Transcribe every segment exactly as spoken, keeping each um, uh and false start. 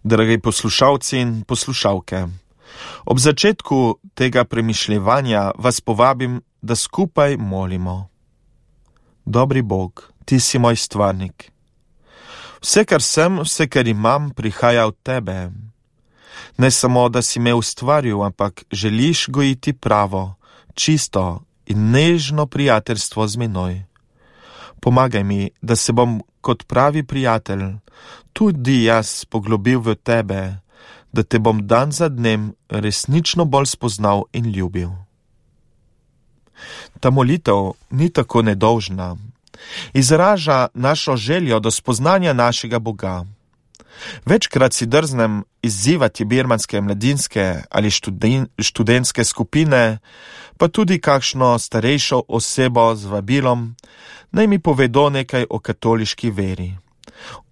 Dragi poslušalci in poslušalke, ob začetku tega premišljevanja vas povabim, da skupaj molimo. Dobri Bog, Ti si moj stvarnik. Vse, kar sem, vse, kar imam, prihaja od Tebe. Ne samo, da si me ustvaril, ampak želiš gojiti pravo, čisto in nežno prijateljstvo z menoj. Pomagaj mi, da se bom kot pravi prijatelj tudi jaz poglobil v Tebe, da Te bom dan za dnem resnično bolj spoznal in ljubil. Ta molitev ni tako nedolžna. Izraža našo željo do spoznanja našega Boga. Večkrat si drznem izzivati birmanske mladinske ali študen, študentske skupine, pa tudi kakšno starejšo osebo z vabilom, naj mi povedo nekaj o katoliški veri,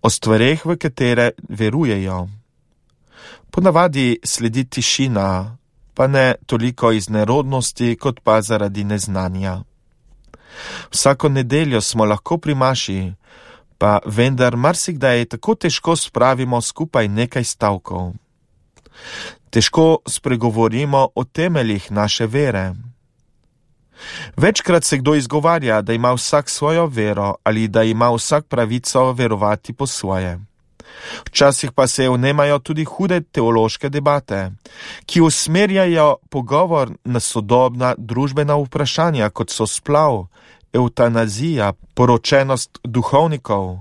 o stvareh, v katere verujejo. Ponavadi sledi tišina, pa ne toliko iz nerodnosti, kot pa zaradi neznanja. Vsako nedeljo smo lahko pri maši, pa vendar marsikdaj tako težko spravimo skupaj nekaj stavkov. Težko spregovorimo o temeljih naše vere. Večkrat se kdo izgovarja, da ima vsak svojo vero ali da ima vsak pravico verovati po svoje. Včasih pa se vnemajo tudi hude teološke debate, ki usmerjajo pogovor na sodobna družbena vprašanja, kot so splav, eutanazija, poročenost duhovnikov.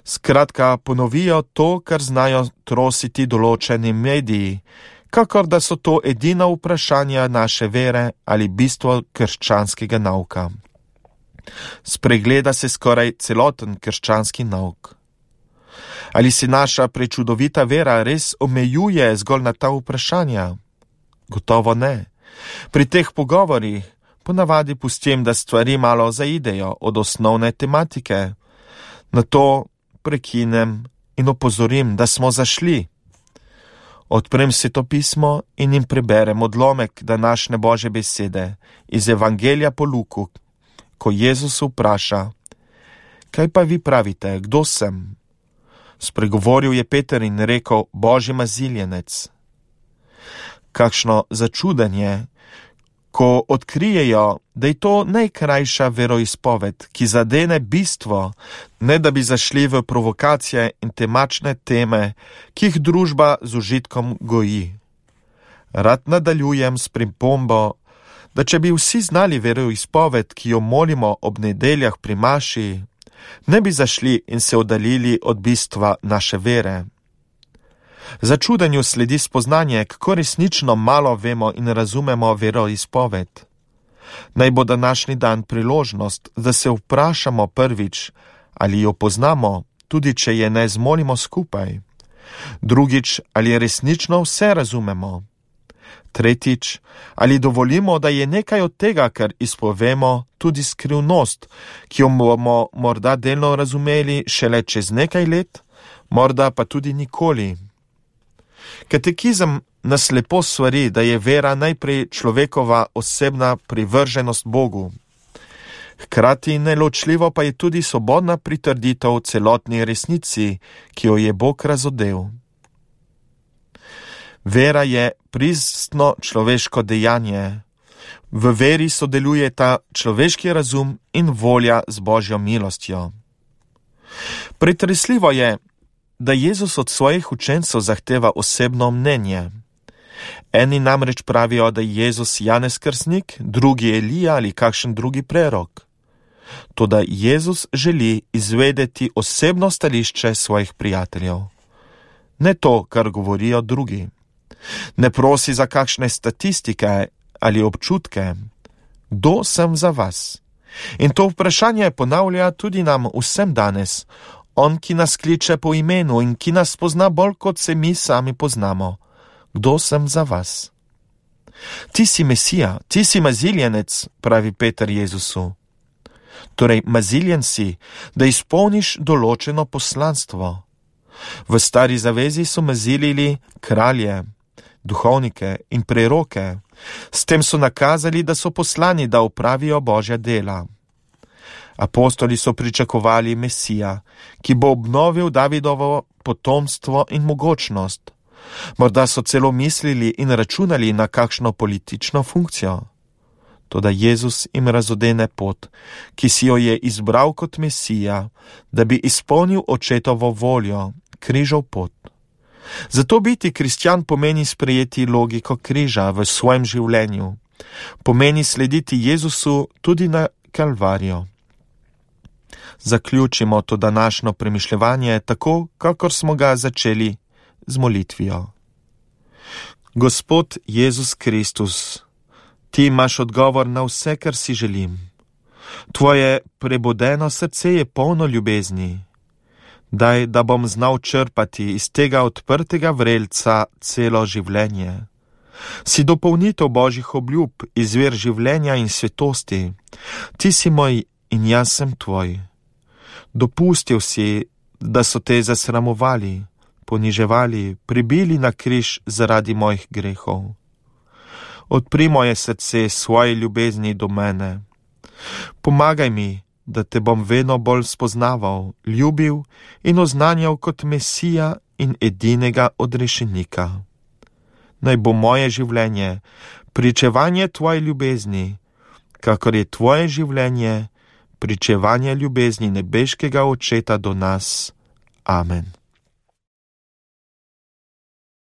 Skratka, ponovijo to, kar znajo trositi določeni mediji, kakor da so to edina vprašanja naše vere ali bistvo krščanskega nauka. Spregleda se skoraj celoten krščanski nauk. Ali se naša prečudovita vera res omejuje zgolj na ta vprašanja? Gotovo ne. Pri teh pogovorih ponavadi pustim, da stvari malo zaidejo od osnovne tematike. Nato prekinem in opozorim, da smo zašli. Odprem Sveto pismo in jim preberem odlomek današnje Božje besede iz Evangelija po Luku, ko Jezus vpraša: Kaj pa vi pravite, kdo sem? Spregovoril je Peter in rekel: Božji maziljenec. Kakšno začudenje, ko odkrijejo, da je to najkrajša veroizpoved, ki zadene bistvo, ne da bi zašli v provokacije in temačne teme, ki jih družba z užitkom goji. Rad nadaljujem s pripombo, da če bi vsi znali veroizpoved, ki jo molimo ob nedeljah pri maši, ne bi zašli in se oddaljili od bistva naše vere. Začudenju sledi spoznanje, kako resnično malo vemo in razumemo veroizpoved. Naj bo današnji dan priložnost, da se vprašamo prvič, ali jo poznamo, tudi če je ne zmolimo skupaj. Drugič, ali resnično vse razumemo. Tretjič, ali dovolimo, da je nekaj od tega, kar izpovemo, tudi skrivnost, ki jo bomo morda delno razumeli šele čez nekaj let, morda pa tudi nikoli. Katekizem nas lepo svari, da je vera najprej človekova osebna privrženost Bogu. Hkrati neločljivo pa je tudi svobodna pritrditev celotni resnici, ki jo je Bog razodel. Vera je pristno človeško dejanje. V veri sodeluje ta človeški razum in volja z Božjo milostjo. Pretresljivo je, da Jezus od svojih učencev zahteva osebno mnenje. Eni namreč pravijo, da je Jezus Janez Krstnik, drugi Elija ali kakšen drugi prerok. Toda Jezus želi izvedeti osebno stališče svojih prijateljev. Ne to, kar govorijo drugi. Ne prosi za kakšne statistike ali občutke. Kdo sem za vas? In to vprašanje ponavlja tudi nam vsem danes. On, ki nas kliče po imenu in ki nas pozna bolj, kot se mi sami poznamo. Kdo sem za vas? Ti si Mesija, ti si maziljenec, pravi Peter Jezusu. Torej, maziljen si, da izpolniš določeno poslanstvo. V stari zavezi so mazilili kralje, duhovnike in preroke. S tem so nakazali, da so poslani, da opravijo Božja dela. Apostoli so pričakovali Mesija, ki bo obnovil Davidovo potomstvo in mogočnost. Morda so celo mislili in računali na kakšno politično funkcijo. Toda Jezus jim razodene pot, ki si jo je izbral kot Mesija, da bi izpolnil očetovo voljo, križov pot. Zato biti kristjan pomeni sprejeti logiko križa v svojem življenju, pomeni slediti Jezusu tudi na Kalvarijo. Zaključimo to današnjo premišljevanje tako, kakor smo ga začeli z molitvijo. Gospod Jezus Kristus, ti imaš odgovor na vse, kar si želim. Tvoje prebudeno srce je polno ljubezni. Daj, da bom znal črpati iz tega odprtega vrelca celo življenje. Si dopolnitev Božjih obljub, izvir življenja in svetosti. Ti si moj in jaz sem tvoj. Dopustil si, da so te zasramovali, poniževali, pribili na križ zaradi mojih grehov. Odpri moje srce svoje ljubezni do mene. Pomagaj mi, da te bom vedno bolj spoznaval, ljubil in oznanjal kot Mesija in edinega odrešenika. Naj bo moje življenje pričevanje tvoje ljubezni, kakor je tvoje življenje pričevanje ljubezni nebeškega Očeta do nas. Amen.